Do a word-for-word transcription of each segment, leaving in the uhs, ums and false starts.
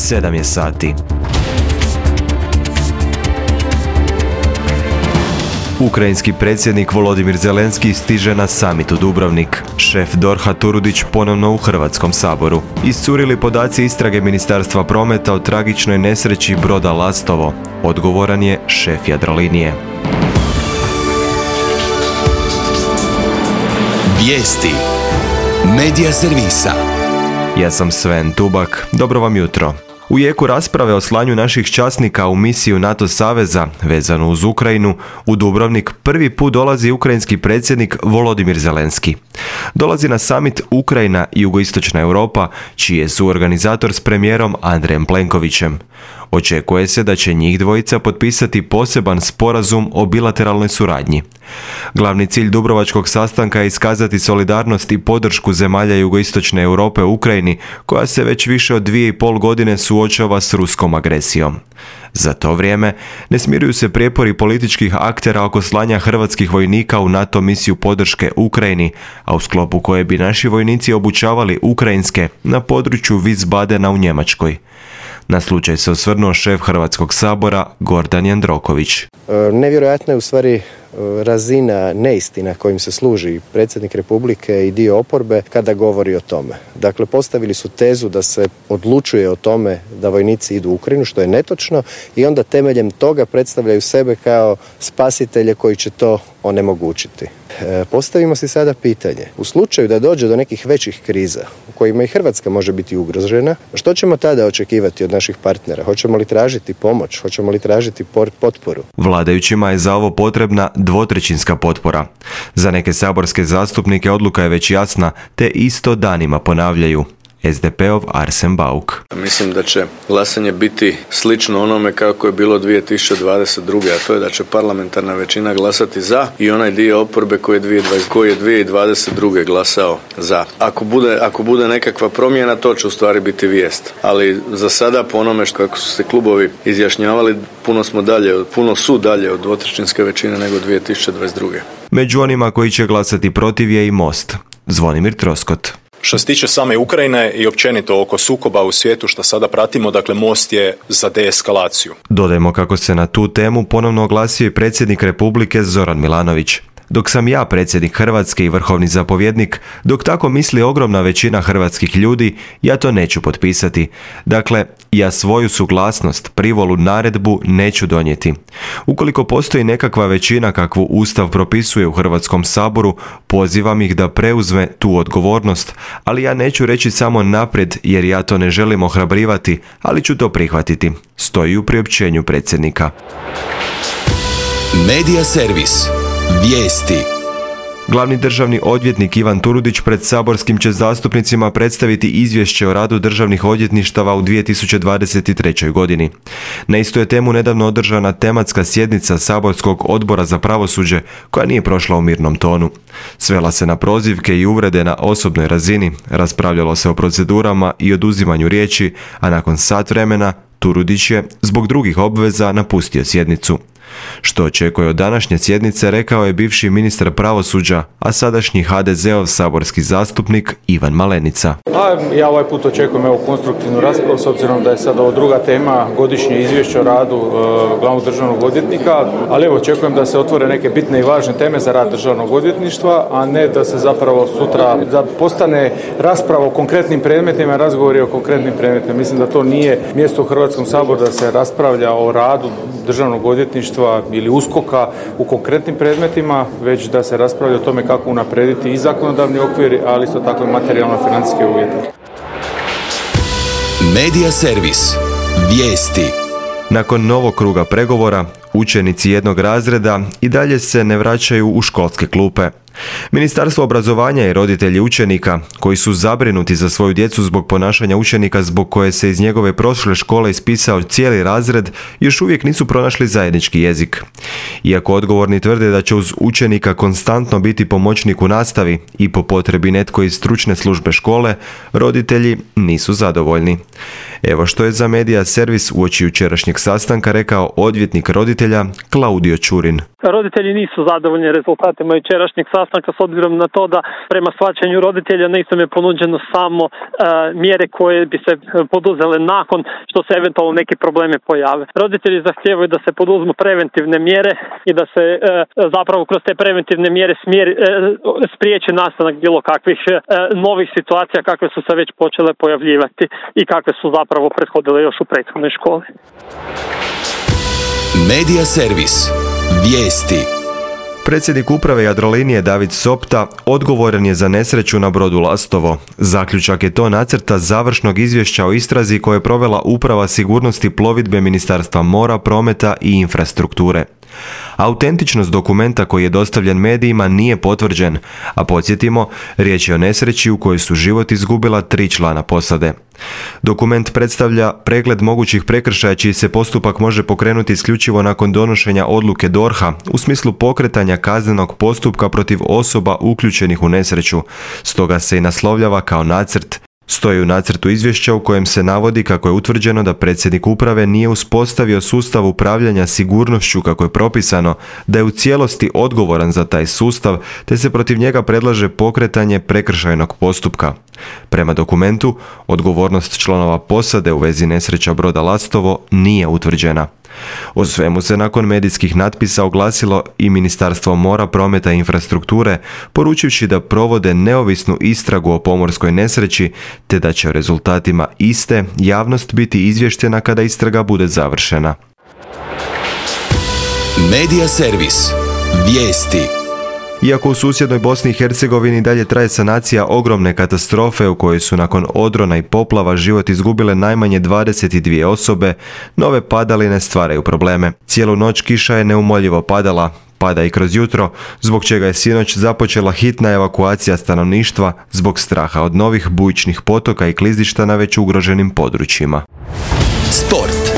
sedam je sati. Ukrajinski predsjednik Volodimir Zelenski stiže na samit u Dubrovnik. Šef dorha Turudić ponovno u Hrvatskom saboru. Iscurili podaci istrage Ministarstva prometa o tragičnoj nesreći broda Lastovo. Odgovoran je šef Jadrolinije. Vijesti Medija servisa. Ja sam Sven Tubak. Dobro vam jutro. U jeku rasprave o slanju naših časnika u misiju NATO saveza vezanu uz Ukrajinu, u Dubrovnik prvi put dolazi ukrajinski predsjednik Volodimir Zelenski. Dolazi na samit Ukrajina i Jugoistočna Europa, čiji je suorganizator s premijerom Andrejem Plenkovićem. Očekuje se da će njih dvojica potpisati poseban sporazum o bilateralnoj suradnji. Glavni cilj dubrovačkog sastanka je iskazati solidarnost i podršku zemalja Jugoistočne Europe u Ukrajini, koja se već više od dvije i pol godine suočava s ruskom agresijom. Za to vrijeme ne smiruju se prijepori političkih aktera oko slanja hrvatskih vojnika u NATO misiju podrške Ukrajini, a u sklopu koje bi naši vojnici obučavali ukrajinske na području Wiesbadena u Njemačkoj. Na slučaj se osvrnuo šef Hrvatskog sabora Gordan Jandroković. Nevjerojatna je u stvari razina neistina kojim se služi predsjednik Republike i dio oporbe kada govori o tome. Dakle, postavili su tezu da se odlučuje o tome da vojnici idu u Ukrajinu, što je netočno, i onda temeljem toga predstavljaju sebe kao spasitelje koji će to onemogućiti. E, postavimo si sada pitanje. U slučaju da dođe do nekih većih kriza u kojima i Hrvatska može biti ugrožena, što ćemo tada očekivati od naših partnera? Hoćemo li tražiti pomoć? Hoćemo li tražiti potporu? Vladajućima je za ovo potrebna dvotrećinska potpora. Za neke saborske zastupnike odluka je već jasna, te isto danima ponavljaju. es de peov Arsen Bauk. Mislim da će glasanje biti slično onome kako je bilo dvije tisuće dvadeset druge. a to je da će parlamentarna većina glasati za i onaj dio oporbe koji je dvije tisuće dvadeset druge glasao za. Ako bude, ako bude nekakva promjena, to će u stvari biti vijest. Ali za sada, po onome što kako su se klubovi izjašnjavali, puno smo dalje, puno su dalje od dvotrećinske većine nego dvije tisuće dvadeset druge. Među onima koji će glasati protiv je i Most. Zvonimir Troskot. Što se tiče same Ukrajine i općenito oko sukoba u svijetu što sada pratimo, dakle Most je za deeskalaciju. Dodajmo kako se na tu temu ponovno oglasio i predsjednik Republike Zoran Milanović. Dok sam ja predsjednik Hrvatske i vrhovni zapovjednik, dok tako misli ogromna većina hrvatskih ljudi, ja to neću potpisati. Dakle, ja svoju suglasnost, privolu, naredbu neću donijeti. Ukoliko postoji nekakva većina kakvu Ustav propisuje u Hrvatskom saboru, pozivam ih da preuzme tu odgovornost, ali ja neću reći samo naprijed jer ja to ne želim ohrabrivati, ali ću to prihvatiti. Stoji u priopćenju predsjednika. Medija servis. Vijesti. Glavni državni odvjetnik Ivan Turudić pred saborskim će zastupnicima predstaviti izvješće o radu državnih odvjetništava u dvije tisuće dvadeset trećoj. godini. Na istu je temu nedavno održana tematska sjednica saborskog odbora za pravosuđe koja nije prošla u mirnom tonu. Svela se na prozivke i uvrede na osobnoj razini, raspravljalo se o procedurama i oduzimanju riječi, a nakon sat vremena Turudić je zbog drugih obveza napustio sjednicu. Što očekuje od današnje sjednice, rekao je bivši ministar pravosuđa, a sadašnji ha de zeov saborski zastupnik Ivan Malenica. A ja ovaj put očekujem evo konstruktivnu raspravu s obzirom da je sada ovo druga tema, godišnje izvješće o radu e, glavnog državnog odvjetnika, ali evo očekujem da se otvore neke bitne i važne teme za rad državnog odvjetništva, a ne da se zapravo sutra da postane rasprava o konkretnim predmetima, razgovori o konkretnim predmetima. Mislim da to nije mjesto u Hrvatskom saboru da se raspravlja o radu državnog odvjetništva ili uskoka u konkretnim predmetima, već da se raspravlja o tome kako unaprijediti i zakonodavni okvir, ali isto tako i materijalno-financijske uvjete. Medija servis. Vijesti. Nakon novog kruga pregovora, učenici jednog razreda i dalje se ne vraćaju u školske klupe. Ministarstvo obrazovanja i roditelji učenika, koji su zabrinuti za svoju djecu zbog ponašanja učenika zbog koje se iz njegove prošle škole ispisao cijeli razred, još uvijek nisu pronašli zajednički jezik. Iako odgovorni tvrde da će uz učenika konstantno biti pomoćnik u nastavi i po potrebi netko iz stručne službe škole, roditelji nisu zadovoljni. Evo što je za Medija servis uoči jučerašnjeg sastanka rekao odvjetnik roditelja Klaudio Čurin. Roditelji nisu zadovoljni rezultatima jučerašnjeg sastanka s obzirom na to da prema shvaćanju roditelja nisam je ponuđeno samo uh, mjere koje bi se poduzele nakon što se eventualno neki problemi pojave. Roditelji zahtijevaju da se poduzmu preventivne mjere i da se uh, zapravo kroz te preventivne mjere smjeri, uh, spriječi nastanak bilo kakvih uh, novih situacija kakve su se već počele pojavljivati i kakve su zapravo prethodile još u prethodnoj školi. Medija servis. Vijesti. Predsjednik uprave Jadrolinije David Sopta odgovoran je za nesreću na brodu Lastovo. Zaključak je to nacrta završnog izvješća o istrazi koje je provela Uprava sigurnosti plovidbe Ministarstva mora, prometa i infrastrukture. Autentičnost dokumenta koji je dostavljen medijima nije potvrđen, a podsjetimo, riječ je o nesreći u kojoj su život izgubila tri člana posade. Dokument predstavlja pregled mogućih prekršaja čiji se postupak može pokrenuti isključivo nakon donošenja odluke D O R H-a u smislu pokretanja kaznenog postupka protiv osoba uključenih u nesreću, stoga se i naslovljava kao nacrt. Stoji u nacrtu izvješća u kojem se navodi kako je utvrđeno da predsjednik uprave nije uspostavio sustav upravljanja sigurnošću kako je propisano, da je u cijelosti odgovoran za taj sustav, te se protiv njega predlaže pokretanje prekršajnog postupka. Prema dokumentu, odgovornost članova posade u vezi nesreća broda Lastovo nije utvrđena. O svemu se nakon medijskih natpisa oglasilo i Ministarstvo mora, prometa i infrastrukture, poručivši da provode neovisnu istragu o pomorskoj nesreći, te da će o rezultatima iste javnost biti izvještena kada istraga bude završena. Medija servis. Vijesti. Iako u susjednoj Bosni i Hercegovini dalje traje sanacija ogromne katastrofe u kojoj su nakon odrona i poplava život izgubile najmanje dvadeset dvije osobe, nove padaline stvaraju probleme. Cijelu noć kiša je neumoljivo padala, pada i kroz jutro, zbog čega je sinoć započela hitna evakuacija stanovništva zbog straha od novih bujičnih potoka i klizišta na već ugroženim područjima. Sport.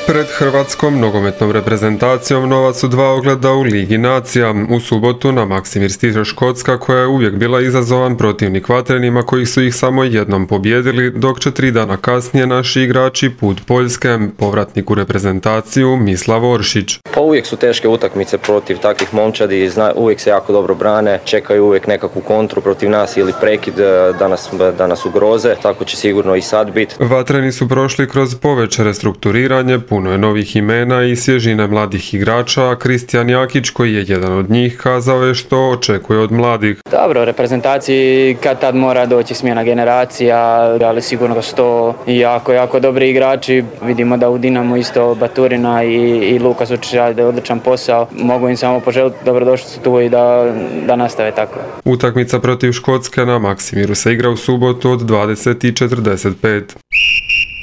Pred hrvatskom nogometnom reprezentacijom nova su dva ogleda u Ligi nacija. U subotu na Maksimir stiže Škotska koja je uvijek bila izazovan protivnik Vatrenima koji su ih samo jednom pobjedili, dok će tri dana kasnije naši igrači put Poljske, povratnik u reprezentaciju Mislav Oršić. Pa uvijek su teške utakmice protiv takvih momčadi, zna, uvijek se jako dobro brane, čekaju uvijek nekakvu kontru protiv nas ili prekid da nas, da nas ugroze, tako će sigurno i sad biti. Vatreni su prošli kroz poveće restrukturiranje, puno je novih imena i svježine mladih igrača, a Kristijan Jakić, koji je jedan od njih, kazao je što očekuje od mladih. Dobro, reprezentaciji kad tad mora doći smjena generacija, ali sigurno da su to jako, jako dobri igrači. Vidimo da u Dinamo isto Baturina i, i Lukas Učić rade odličan posao. Mogu im samo poželiti dobrodošli su tu i da, da nastave tako. Utakmica protiv Škotske na Maksimiru se igra u subotu od dvadeset i četrdeset pet.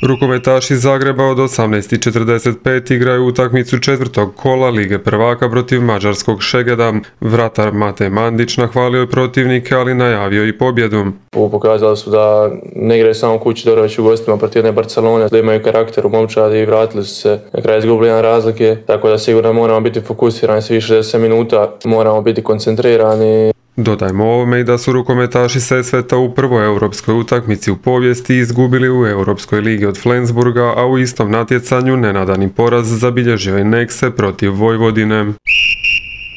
Rukometaši iz Zagreba od osamnaest i četrdeset pet igraju utakmicu četvrtog kola Lige prvaka protiv mađarskog Šegeda. Vratar Mate Mandić nahvalio je protivnike, ali najavio i pobjedu. Ovo pokazali su da ne igraju samo kući, dobro već u gostima protiv jedne Barcelone, da imaju karakter u momčadi i vratili su se na kraju izgubili jedan razlike, tako da sigurno moramo biti fokusirani svih šezdeset minuta, moramo biti koncentrirani. Dodajmo ovome i da su rukometaši Sesveta u prvoj europskoj utakmici u povijesti izgubili u Europskoj ligi od Flensburga, a u istom natjecanju nenadani poraz zabilježio je Nekse protiv Vojvodine.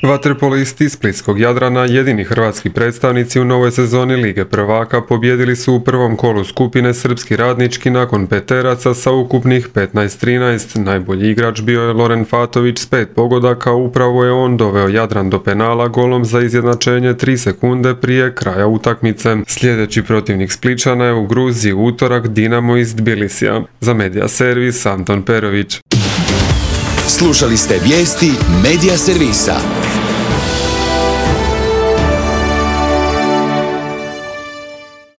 Vaterpolisti splitskog Jadrana, jedini hrvatski predstavnici u novoj sezoni Lige prvaka, pobjedili su u prvom kolu skupine Srpski radnički nakon peteraca sa ukupnih petnaest trinaest. Najbolji igrač bio je Loren Fatović s pet pogodaka, upravo je on doveo Jadran do penala golom za izjednačenje tri sekunde prije kraja utakmice. Sljedeći protivnik Spličana je u Gruziji u utorak Dinamo iz Tbilisija. Za Medija servis Anton Perović. Slušali ste vijesti Medija servisa.